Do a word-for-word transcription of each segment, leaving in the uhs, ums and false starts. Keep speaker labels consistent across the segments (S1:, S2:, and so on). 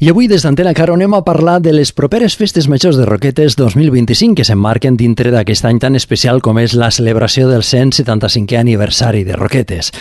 S1: I avui des d'Antena Caro anem a parlar de les properes festes majors de Roquetes dos mil vint-i-cinc que s'emmarquen dintre d'aquest any tan especial com és la celebració del cent setanta-cinquè aniversari de Roquetes.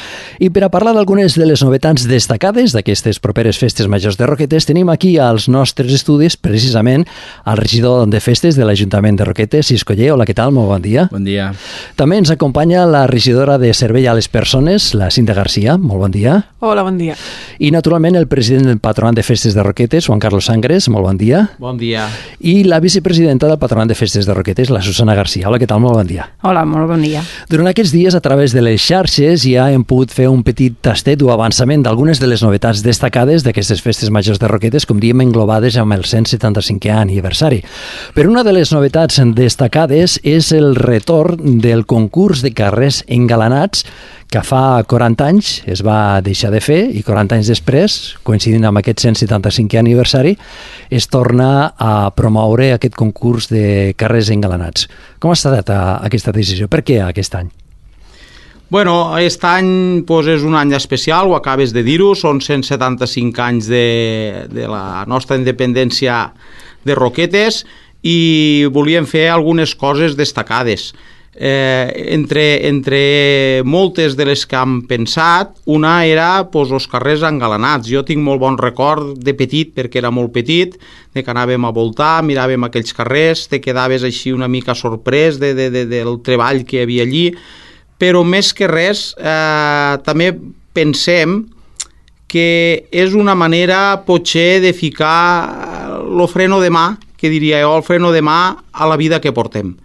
S1: I per a parlar d'algunes de les novetats destacades d'aquestes properes festes majors de Roquetes tenim aquí als nostres estudis precisament el regidor de festes de l'Ajuntament de Roquetes, Cisco Ller. Hola, què tal? Molt bon dia.
S2: Bon dia.
S1: També ens acompanya la regidora de Servei a les Persones, la Cinta Garcia. Molt bon dia.
S3: Hola, bon dia.
S1: I naturalment el president del Patronat de Festes de Roquetes, Juan Carlos Sangres, molt bon dia.
S2: Bon dia.
S1: I la vicepresidenta del Patronat de Festes de Roquetes, la Susana Garcia. Hola, què tal? Molt bon dia.
S3: Hola, molt bon dia.
S1: Durant aquests dies, a través de les xarxes, ja hem pogut fer un petit tastet o avançament d'algunes de les novetats destacades d'aquestes festes majors de Roquetes, com diem, englobades amb el cent setanta-cinquè aniversari. Però una de les novetats destacades és el retorn del concurs de carrers engalanats que fa quaranta anys es va deixar de fer i quaranta anys després, coincidint amb aquest cent setanta-cinquè aniversari, es torna a promoure aquest concurs de carrers engalanats. Com ha estat aquesta decisió? Per què aquest any?
S2: Bueno, aquest any pues, és un any especial, ho acabes de dir-ho, són cent setanta-cinc anys de, de la nostra independència de Roquetes i volíem fer algunes coses destacades. Eh, entre, entre moltes de les que hem pensat, una era pues, els carrers engalanats. Jo tinc molt bon record de petit, perquè era molt petit, de que anàvem a voltar, miràvem aquells carrers, te quedaves així una mica sorprès de, de, de, del treball que hi havia allí, però més que res eh, també pensem que és una manera potser de ficar el freno de mà, que diria jo, el freno de mà a la vida que portem.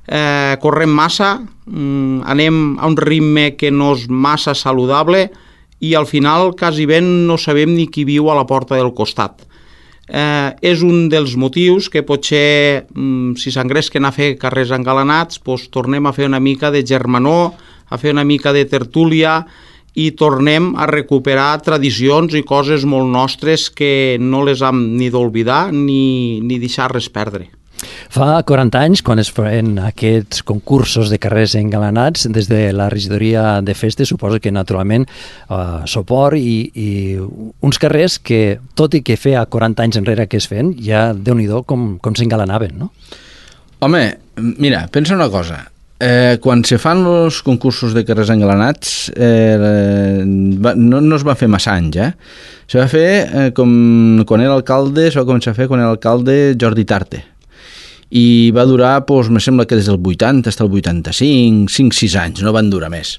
S2: Eh, correm massa, mm, anem a un ritme que no és massa saludable i al final quasi ben no sabem ni qui viu a la porta del costat. Eh, és un dels motius que potser mm, si s'engresquen a fer carrers engalanats doncs tornem a fer una mica de germanor, a fer una mica de tertúlia i tornem a recuperar tradicions i coses molt nostres que no les hem ni d'oblidar ni, ni deixar res perdre.
S1: Fa quaranta anys, quan es feien aquests concursos de carrers engalanats, des de la regidoria de festes, suposo que naturalment eh, suport i, i uns carrers que, tot i que feia quaranta anys enrere que es feien, ja Déu-n'hi-do com, com s'engalanaven, no?
S4: Home, mira, pensa una cosa. Eh, quan se fan els concursos de carrers engalanats eh, va, no, no es va fer massa anys, eh? Se va fer eh, com quan era alcalde, se va començar a fer quan era alcalde Jordi Tarte. I va durar, doncs, me sembla que des del vuitanta fins al vuitanta-cinc, cinc sis anys, no van durar més.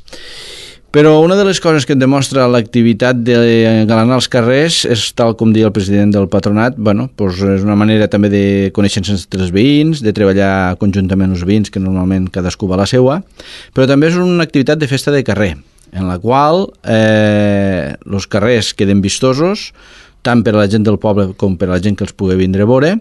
S4: Però una de les coses que et demostra l'activitat d'engalanar els carrers és, tal com deia el president del patronat, bueno, doncs és una manera també de conèixer-se entre els veïns, de treballar conjuntament els veïns, que normalment cadascú va a la seua, però també és una activitat de festa de carrer, en la qual eh, els carrers queden vistosos, tant per a la gent del poble com per a la gent que els pugui vindre a veure,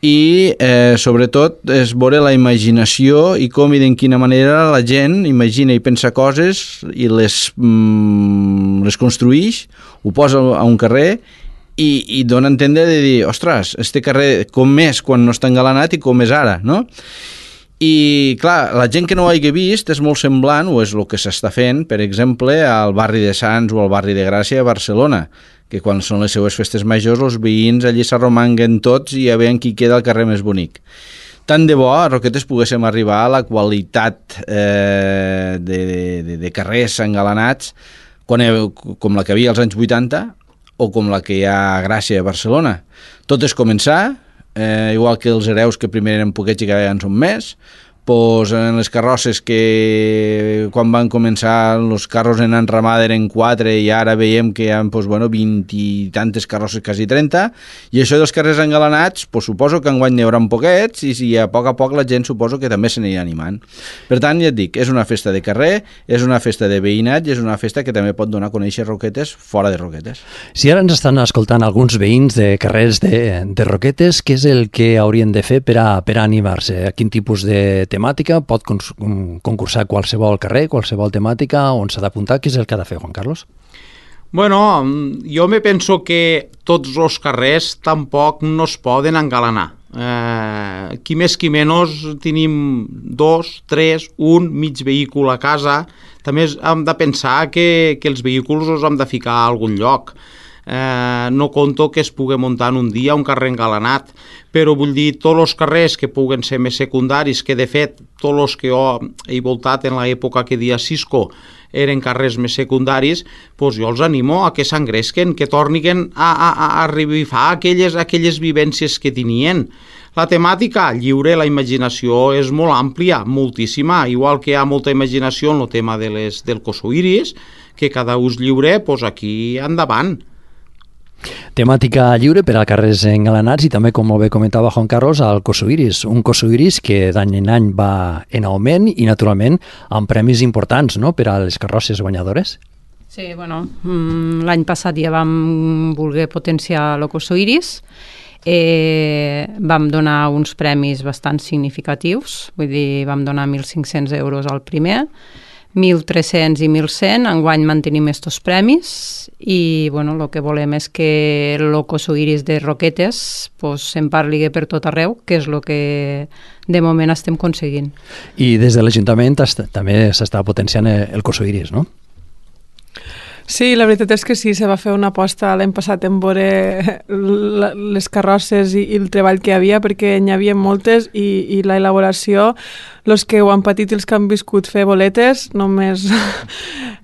S4: i eh, sobretot és veure la imaginació i com i de quina manera la gent imagina i pensa coses i les, mm, les construïx, ho posa a un carrer i, i dona a entendre de dir, ostres, este carrer com és quan no està engalanat i com és ara, no? I clar, la gent que no ho hagi vist és molt semblant, o és el que s'està fent, per exemple, al barri de Sants o al barri de Gràcia a Barcelona, que quan són les seues festes majors els veïns allí s'arromanguen tots i a veure qui queda el carrer més bonic. Tant de bo a Roquetes poguéssim arribar a la qualitat eh, de, de, de carrers engalanats quan, com la que havia als anys vuitanta o com la que hi ha a Gràcia a Barcelona. Tot és començar, eh, igual que els hereus que primer eren poquets i que ara ja en són més, pues en les carrosses que quan van començar els carros en enramada eren quatre i ara veiem que hi ha pues, bueno, vint i tantes carrosses, quasi trenta, i això dels carrers engalanats pues, suposo que enguany n'hi haurà poquets i, i a poc a poc la gent suposo que també se n'anirà animant. Per tant, ja et dic, és una festa de carrer, és una festa de veïnat i és una festa que també pot donar a conèixer Roquetes fora de Roquetes.
S1: Si ara ens estan escoltant alguns veïns de carrers de, de Roquetes, què és el que haurien de fer per a, per a animar-se? A quin tipus de temàtica? Pot concursar qualsevol carrer, qualsevol temàtica, on s'ha d'apuntar? Què és el que ha de fer, Juan Carlos?
S2: Bueno, jo me penso que tots els carrers tampoc no es poden engalanar. Eh, qui més qui menys tenim dos, tres, un mig vehicle a casa. També hem de pensar que, que els vehicles els hem de ficar a algun lloc. eh, no conto que es pugui muntar en un dia un carrer engalanat, però vull dir, tots els carrers que puguen ser més secundaris, que de fet, tots els que jo he voltat en l'època que dia Cisco eren carrers més secundaris, doncs jo els animo a que s'engresquen, que tornin a, a, a revifar aquelles, aquelles vivències que tenien. La temàtica lliure, la imaginació és molt àmplia, moltíssima, igual que hi ha molta imaginació en el tema de les, del cosoiris, que cada ús lliure, doncs aquí endavant.
S1: Temàtica lliure per a carrers engalanats i també, com molt bé comentava Juan Carlos, al cosoiris. Un cosoiris que d'any en any va en augment i, naturalment, amb premis importants, no?, per a les carrosses guanyadores.
S3: Sí, bueno, l'any passat ja vam voler potenciar el cosoiris. Eh, vam donar uns premis bastant significatius, vull dir, vam donar mil cinc-cents euros al primer, mil tres-cents i mil cent, enguany mantenim estos premis i bueno, el que volem és que el cosoiris de Roquetes pues, se'n parli per tot arreu, que és el que de moment estem aconseguint.
S1: I des de l'Ajuntament també s'està potenciant el cosoiris, no?
S5: Sí, la veritat és que sí, se va fer una aposta l'any passat en veure les carrosses i, i el treball que hi havia, perquè n'hi havia moltes i, i la elaboració, els que ho han patit i els que han viscut fer boletes, només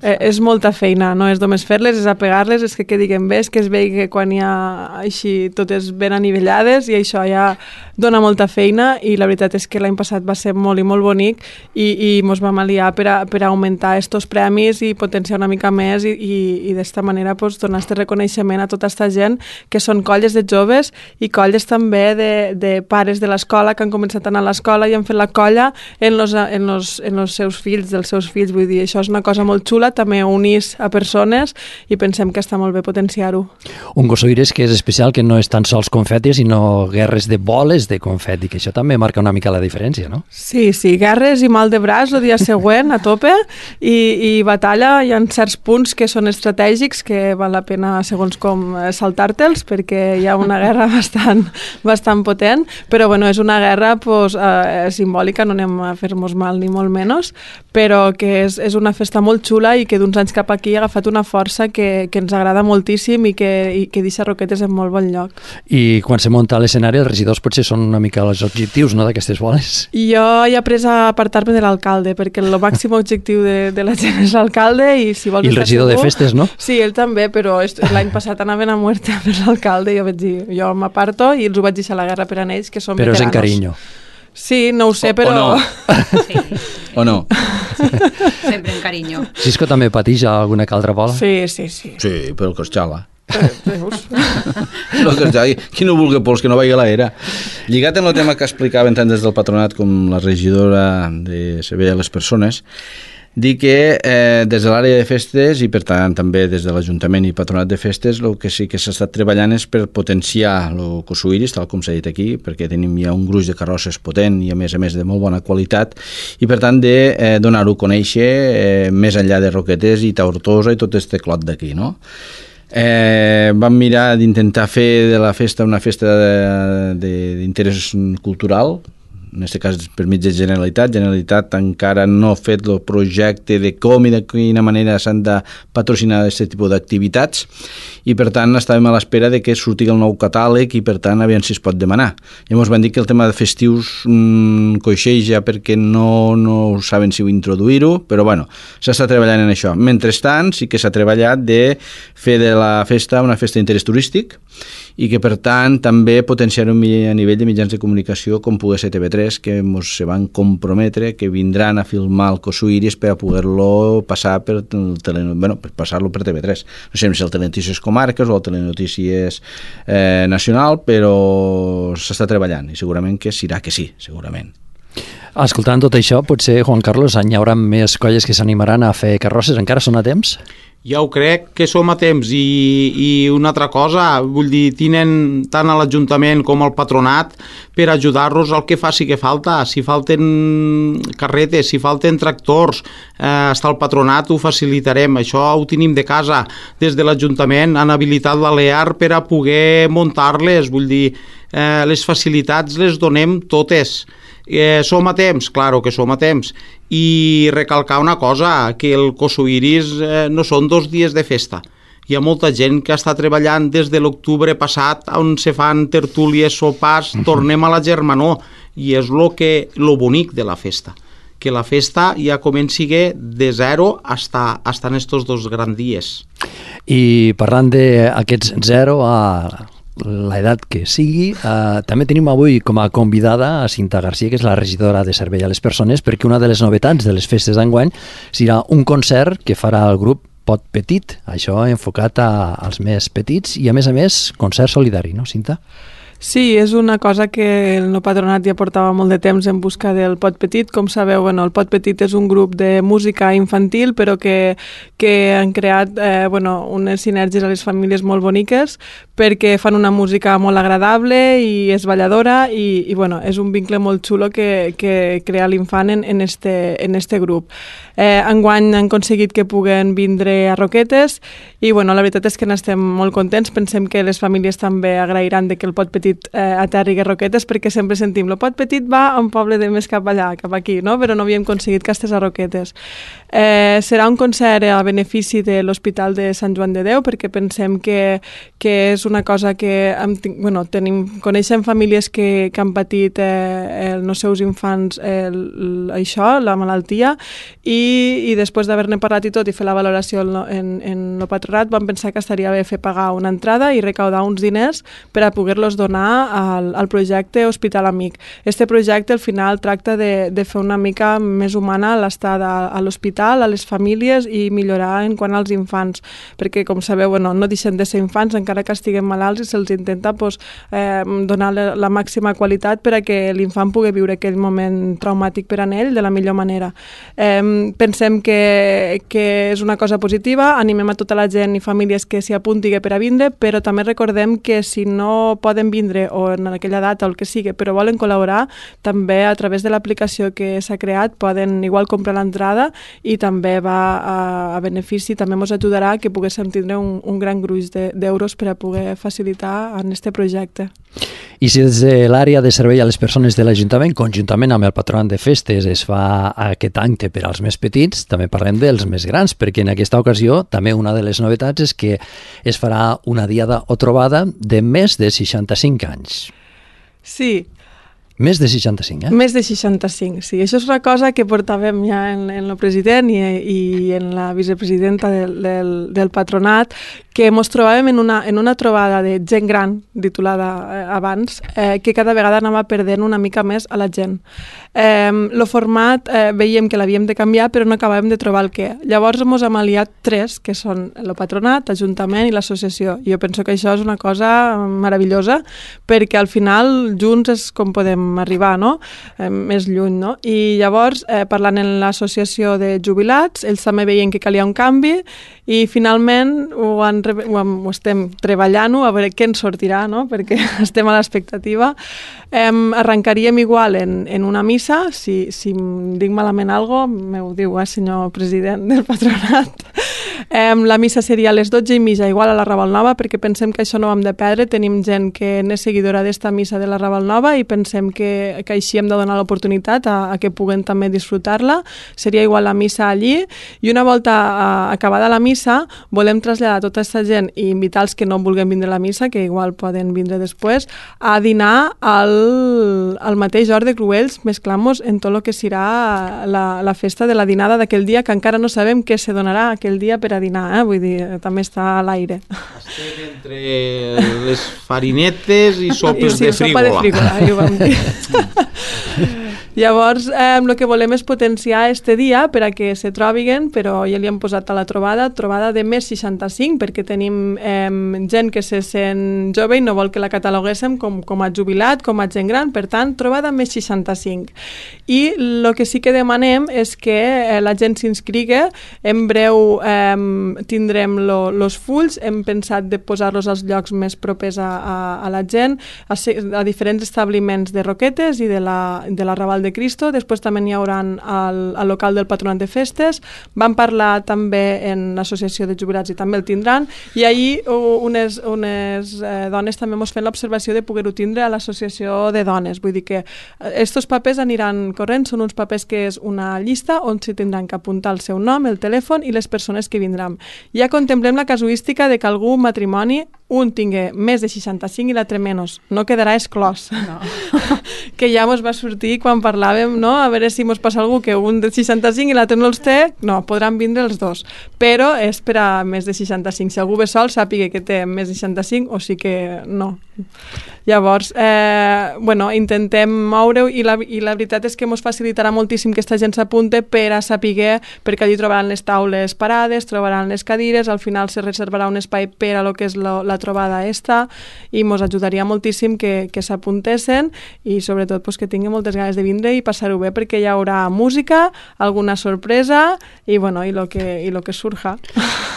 S5: és molta feina, no és només fer-les, és apegar-les, és que quedin bé, és que es vegi que quan hi ha així totes ben anivellades i això ja dona molta feina i la veritat és que l'any passat va ser molt i molt bonic i, i mos vam aliar per a, per a augmentar estos premis i potenciar una mica més i, i, i d'esta manera pues, donar este reconeixement a tota aquesta gent que són colles de joves i colles també de, de pares de l'escola que han començat a anar a l'escola i han fet la colla en los, en, los, en los seus fills, dels seus fills, vull dir, això és una cosa molt xula, també unís a persones i pensem que està molt bé potenciar-ho.
S1: Un cosoiris que és especial, que no és tan sols confetis, sinó guerres de boles de confeti, que això també marca una mica la diferència, no?
S5: Sí, sí, guerres i mal de braç el dia següent a tope i, i batalla, hi ha certs punts que són estratègics que val la pena, segons com, saltar-te'ls perquè hi ha una guerra bastant, bastant potent, però bueno, és una guerra pues, eh, simbòlica, no anem a fer-nos mal ni molt menys, però que és, és una festa molt xula i que d'uns anys cap aquí ha agafat una força que, que ens agrada moltíssim i que, i que deixa Roquetes en molt bon lloc.
S1: I quan se munta a l'escenari, els regidors potser són una mica els objectius, no?, d'aquestes boles.
S5: Jo he après a apartar-me de l'alcalde, perquè el màxim objectiu de, de la gent és l'alcalde i si vols
S1: I el regidor segur, de festes, no?
S5: Sí, ell també, però l'any passat anaven a muerte per l'alcalde i jo vaig dir, jo m'aparto i els ho vaig deixar la guerra per a ells, que són
S1: però
S5: veteranos.
S1: Però és en carinyo.
S5: Sí, no ho sé,
S4: o,
S5: però...
S4: O no.
S3: Sí.
S4: O no.
S3: Sempre en carinyo.
S1: Cisco també pateix alguna que altra bola?
S5: Sí, sí, sí.
S4: Sí, però que es xala.
S5: Veus?
S4: No, que es xala. Qui no vulgui pols, que no vagi a l'era. Lligat en el tema que explicaven tant des del patronat com la regidora de Servei a les Persones, dir que eh, des de l'àrea de festes i per tant també des de l'Ajuntament i Patronat de Festes el que sí que s'ha estat treballant és per potenciar el cosoiris, tal com s'ha dit aquí, perquè tenim ja un gruix de carrosses potent i a més a més de molt bona qualitat i per tant de eh, donar-ho a conèixer eh, més enllà de Roquetes i Tortosa i tot este clot d'aquí, no? Eh, vam mirar d'intentar fer de la festa una festa d'interès cultural, en aquest cas per mig de Generalitat. Generalitat encara no ha fet el projecte de com i de quina manera s'han de patrocinar aquest tipus d'activitats i per tant estàvem a l'espera de que surti el nou catàleg i per tant aviam si es pot demanar. Llavors van dir que el tema de festius mmm, coixeja perquè no, no saben si introduir-ho, però bueno, s'està treballant en això. Mentrestant sí que s'ha treballat de fer de la festa una festa d'interès turístic i que per tant també potenciar-ho a nivell de mitjans de comunicació com pugui ser T V tres, que ens se van comprometre que vindran a filmar el cosoiris per a poder-lo passar per, tele, bueno, per passar-lo per T V tres. No sé si el Telenotícies Comarques o el Telenotícies eh, Nacional, però s'està treballant i segurament que serà que sí, segurament.
S1: Escoltant tot això, potser, Juan Carlos, hi haurà més colles que s'animaran a fer carrosses. Encara són a temps?
S2: Ja ho crec que som a temps i, i una altra cosa, vull dir, tenen tant a l'Ajuntament com al Patronat per ajudar-nos al que faci que falta. Si falten carretes, si falten tractors, eh, està el Patronat, ho facilitarem. Això ho tenim de casa. Des de l'Ajuntament han habilitat l'A L E A R per a poder muntar-les, vull dir, eh, les facilitats les donem totes. Eh, som a temps? Claro que som a temps. I recalcar una cosa, que el cosoiris eh, no són dos dies de festa. hi ha molta gent que està treballant des de l'octubre passat, on se fan tertúlies, sopars, tornem a la germanor, i és lo que, lo bonic de la festa, que la festa ja comenci de zero hasta, hasta en estos dos grans dies.
S1: I parlant d'aquests zero a l'edat que sigui, eh, també tenim avui com a convidada a Cinta Garcia, que és la regidora de Servei a les Persones, perquè una de les novetats de les festes d'enguany serà un concert que farà el grup Pot Petit, això enfocat a, als més petits i, a més a més, concert solidari, no, Cinta?
S5: Sí, és una cosa que el nou patronat ja portava molt de temps en busca del Pot Petit. Com sabeu, bueno, el Pot Petit és un grup de música infantil, però que, que han creat eh, bueno, unes sinergies a les famílies molt boniques, perquè fan una música molt agradable i és balladora, i, i bueno, és un vincle molt xulo que, que crea l'infant en, en, este, en este grup. Eh, enguany han aconseguit que puguen vindre a Roquetes, i bueno, la veritat és que n'estem molt contents. Pensem que les famílies també agrairan de que el Pot Petit Eh, aterri a Roquetes, perquè sempre sentim el Pot Petit va a un poble de més cap allà, cap aquí, no? Però no havíem aconseguit que estigués a Roquetes. Eh, serà un concert a benefici de l'Hospital de Sant Joan de Déu, perquè pensem que, que és una cosa que hem, bueno, tenim, coneixem famílies que, que han patit eh, els seus infants eh, el, això, la malaltia, i, i després d'haver-ne parlat i tot i fer la valoració en, en el patronat vam pensar que estaria bé fer pagar una entrada i recaudar uns diners per a poder-los donar al, al projecte Hospital Amic. Este projecte al final tracta de, de fer una mica més humana l'estada a l'hospital, a les famílies, i millorar en quant als infants, perquè com sabeu, bueno, no deixen de ser infants encara que estiguin malalts, i se'ls intenta pues, eh, donar la, la màxima qualitat per a que l'infant pugui viure aquell moment traumàtic per a ell de la millor manera. Eh, pensem que, que és una cosa positiva, animem a tota la gent i famílies que s'hi apunti per a vindre, però també recordem que si no poden vindre o en aquella data o el que sigui, però volen col·laborar, també a través de l'aplicació que s'ha creat poden igual comprar l'entrada, i també va a, a benefici, també ens ajudarà que poguéssim tindre un, un gran gruix d'euros per a poder facilitar en este projecte.
S1: I si des de l'àrea de servei a les persones de l'Ajuntament, conjuntament amb el Patronat de Festes, es fa aquest acte per als més petits, també parlem dels més grans, perquè en aquesta ocasió també una de les novetats és que es farà una diada o trobada de més de seixanta-cinc anys.
S5: Sí.
S1: Més de seixanta-cinc, eh?
S5: Més de seixanta-cinc, sí. Això és una cosa que portàvem ja en, en el president i, i en la vicepresidenta del, del, del patronat, que ens trobàvem en una, en una trobada de gent gran, titulada eh, abans, eh, que cada vegada anava perdent una mica més a la gent. Eh, el format eh, veiem que l'havíem de canviar, però no acabàvem de trobar el què. Llavors ens hem aliat tres, que són el patronat, l'Ajuntament i l'associació. Jo penso que això és una cosa meravellosa, perquè al final junts és com podem arribar, no? Eh, més lluny, no? I llavors, eh, parlant en l'associació de jubilats, ells també veien que calia un canvi, i finalment ho, han, ho, hem, ho estem treballant-ho a veure què ens sortirà, no? Perquè estem a l'expectativa. Eh, arrencaríem igual en, en una missa, si, si em dic malament alguna cosa, m'ho diu, eh, senyor president del patronat. Eh, la missa seria a les dotze i mitja, igual a la Raval Nova, perquè pensem que això no ho hem de perdre. Tenim gent que és seguidora d'esta missa de la Raval Nova i pensem que, que així hem de donar l'oportunitat a, a que puguen també disfrutar-la. Seria igual la missa allí, i una volta a, acabada la missa volem traslladar tota aquesta gent i invitar els que no vulguin vindre a la missa, que igual poden vindre després, a dinar al, al mateix hort de Cruells, mesclant-nos en tot el que serà la, la festa de la dinada d'aquell dia, que encara no sabem què se donarà aquell dia per a dinar, eh? Vull dir, també està a l'aire.
S2: Estem entre les farinetes i sopes
S5: I sí,
S2: de frígola.
S5: sopa de frígola, ja ho vam dir. Llavors, eh, el que volem és potenciar este dia per a que se trobiguen, però ja li hem posat a la trobada, trobada de més seixanta-cinc, perquè tenim eh, gent que se sent jove i no vol que la cataloguéssim com, com a jubilat, com a gent gran, per tant, trobada més seixanta-cinc. I el que sí que demanem és que eh, la gent s'inscrigui, en breu eh, tindrem els fulls, hem pensat de posar-los als llocs més propers a, a, a la gent, a, a diferents establiments de Roquetes i de la, de la Raval Pasqual de Cristo, després també n'hi haurà al, al local del Patronat de Festes, van parlar també en l'Associació de Jubilats i també el tindran, i ahir unes, unes eh, dones també mos fent l'observació de poder-ho tindre a l'Associació de Dones, vull dir que estos papers aniran corrent, són uns papers que és una llista on s'hi tindran que apuntar el seu nom, el telèfon i les persones que vindran. Ja contemplem la casuística de que algú matrimoni un tingui més de seixanta-cinc i l'altre menys, no quedarà exclòs. No. Que ja mos va sortir quan parlàvem, no? A veure si mos passa algú que un de seixanta-cinc i l'altre no els té, no, podran vindre els dos, però és per a més de seixanta-cinc. Si algú ve sol, sàpiga que té més de seixanta-cinc o sí que no. Llavors, eh, bueno, intentem moure-ho i la, i la veritat és que ens facilitarà moltíssim que aquesta gent s'apunte per a saber, perquè allí trobaran les taules parades, trobaran les cadires, al final se reservarà un espai per a lo que és lo, la trobada esta, i ens ajudaria moltíssim que, que s'apuntessin i sobretot pues, que tinguin moltes ganes de vindre i passar-ho bé, perquè hi haurà música, alguna sorpresa i, bueno, i lo que, i lo que surja.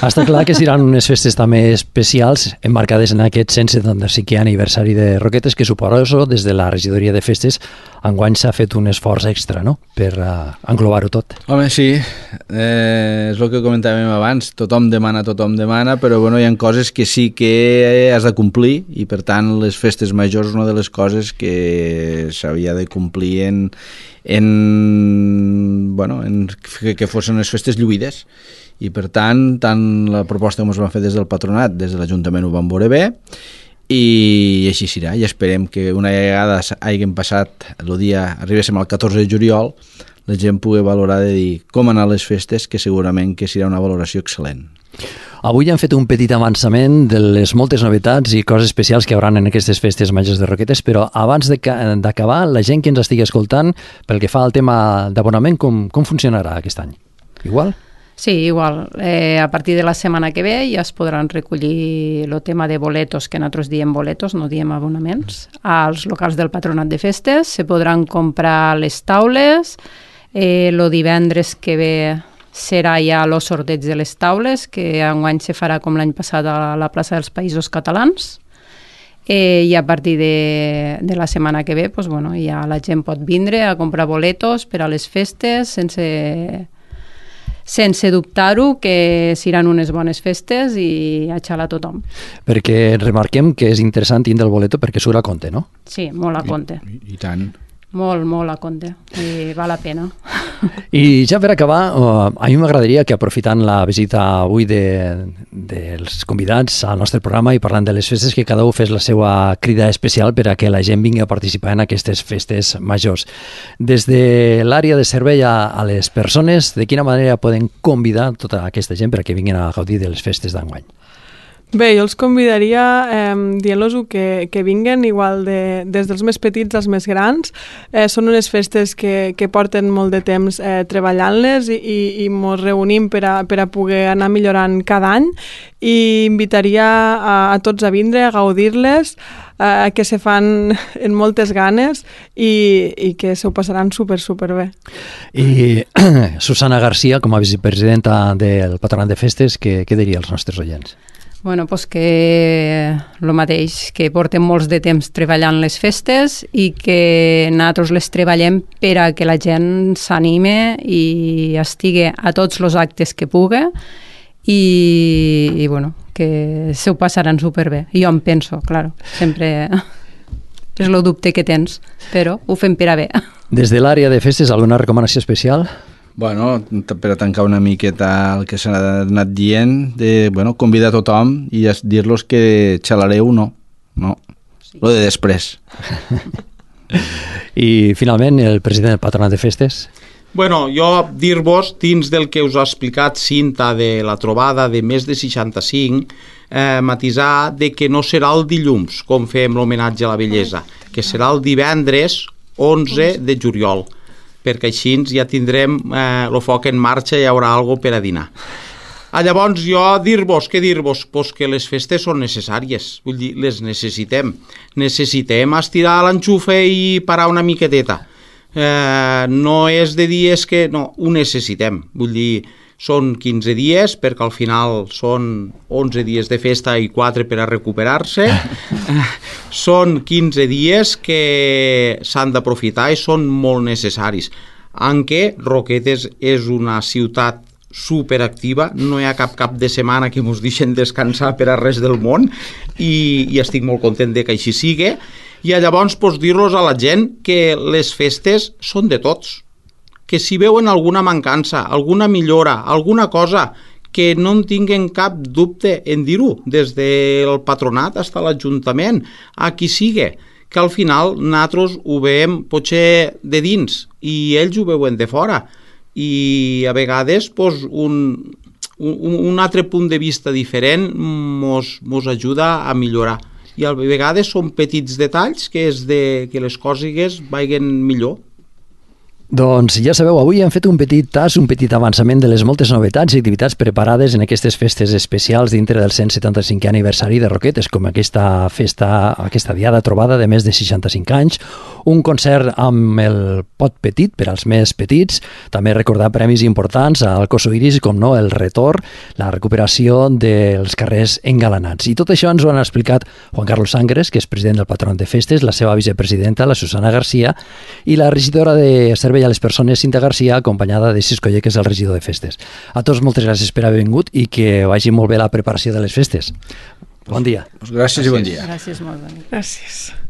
S1: Està clar que seran unes festes també especials emmarcades en aquest cent setanta-cinquè aniversari de Roquetes, que suposo des de la regidoria de festes enguany s'ha fet un esforç extra, no?, per uh, englobar-ho tot.
S4: Home, sí, eh, és el que comentàvem abans, tothom demana, tothom demana, però bueno, hi ha coses que sí que has de complir i per tant les festes majors és una de les coses que s'havia de complir en, en, bueno, en que, que fossin unes festes lluïdes. I per tant, tant la proposta que ens van fer des del patronat, des de l'Ajuntament ho van veure bé, i així serà, i esperem que una vegada hàgim passat el dia, arribéssim al catorze de juliol, la gent pugui valorar de dir com anar a les festes, que segurament que serà una valoració excel·lent.
S1: Avui hem fet un petit avançament de les moltes novetats i coses especials que hi haurà en aquestes festes majors de Roquetes, però abans d'acabar, la gent que ens estigui escoltant, pel que fa al tema d'abonament, com, com funcionarà aquest any? Igual?
S3: Sí, igual. Eh, a partir de la setmana que ve ja es podran recollir el tema de boletos, que nosaltres diem boletos, no diem abonaments, als locals del Patronat de Festes. Se podran comprar les taules. Eh, el divendres que ve serà ja el sorteig de les taules, que enguany se farà com l'any passat a la plaça dels Països Catalans. Eh, I a partir de, de la setmana que ve pues, bueno, ja la gent pot vindre a comprar boletos per a les festes sense... sense dubtar-ho, que seran unes bones festes i a xalar tothom.
S1: Perquè remarquem que és interessant tindre el boleto perquè surt a compte, no?
S3: Sí, molt a compte.
S4: I, i, i tant.
S3: Molt, molt a compte. I val la pena.
S1: I ja per acabar, uh, a mi m'agradaria que aprofitant la visita avui de, dels convidats al nostre programa i parlant de les festes, que cada un fes la seva crida especial per a que la gent vingui a participar en aquestes festes majors. Des de l'àrea de servei a, a les persones, de quina manera poden convidar tota aquesta gent per a que vinguin a gaudir de les festes d'enguany?
S5: Bé, jo els convidaria eh, dient-los que, que vinguen igual de, des dels més petits als més grans. Eh, són unes festes que, que porten molt de temps eh, treballant-les i, i, i mos reunim per a, per a poder anar millorant cada any, i invitaria a, a tots a vindre, a gaudir-les, a, que se fan en moltes ganes i, i que s'ho passaran super, super bé.
S1: I Susana Garcia, com a vicepresidenta del Patronat de Festes, què, què diria als nostres oients?
S3: Bueno, pues que el mateix, que portem molts de temps treballant les festes i que nosaltres les treballem per a que la gent s'anime i estigui a tots els actes que pugui i, i bueno, que s'ho passaran superbé. Jo em penso, claro, sempre és el dubte que tens, però ho fem per a bé.
S1: Des de l'àrea de festes, alguna recomanació especial?
S4: Bueno, per a tancar una miqueta el que s'ha anat dient, de, bueno, convidar a tothom i dir-los que xalareu no, no, sí. Lo de després.
S1: I finalment, el president del Patronat de Festes?
S2: Bueno, jo dir-vos, dins del que us ha explicat Cinta de la trobada de més de seixanta-cinc, eh, matisar de que no serà el dilluns, com fem l'homenatge a la bellesa, que serà el divendres onze de juliol, perquè així ja tindrem eh, el foc en marxa i hi haurà alguna per a dinar. Ah, llavors, jo dir-vos, què dir-vos? Pues que les festes són necessàries, vull dir, les necessitem. Necessitem estirar l'enxufe i parar una miqueteta. Eh, no és de dies que... No, ho necessitem. Vull dir, són quinze dies, perquè al final són onze dies de festa i quatre per a recuperar-se. Són quinze dies que s'han d'aprofitar i són molt necessaris. En què Roquetes és una ciutat superactiva, no hi ha cap cap de setmana que ens deixen descansar per a res del món i, i estic molt content de que així sigui. I llavors pues, dir-los a la gent que les festes són de tots, que si veuen alguna mancança, alguna millora, alguna cosa, que no en tinguen cap dubte en dir-ho, des del patronat fins a l'Ajuntament, a qui sigui, que al final nosaltres ho veiem potser de dins i ells ho veuen de fora. I a vegades pues, un, un, un altre punt de vista diferent mos, mos ajuda a millorar. I a vegades són petits detalls que és de que les coses vagin millor.
S1: Doncs ja sabeu, avui hem fet un petit tas, un petit avançament de les moltes novetats i activitats preparades en aquestes festes especials dintre del cent setanta-cinquè aniversari de Roquetes, com aquesta festa, aquesta diada trobada de més de seixanta-cinc anys, un concert amb el pot petit per als més petits, també recordar premis importants al Coso Iris, com no, el retorn, la recuperació dels carrers engalanats. I tot això ens ho han explicat Juan Carlos Sangres, que és president del Patronat de Festes, la seva vicepresidenta, la Susana Garcia, i la regidora de Servei a les Persones, Cinta Garcia, acompanyada de Cisco Lle, que és el regidor de Festes. A tots moltes gràcies per haver vingut i que vagi molt bé la preparació de les festes. Bon dia.
S4: Pues gràcies, gràcies i bon dia.
S3: Gràcies, molt bé.
S5: Gràcies.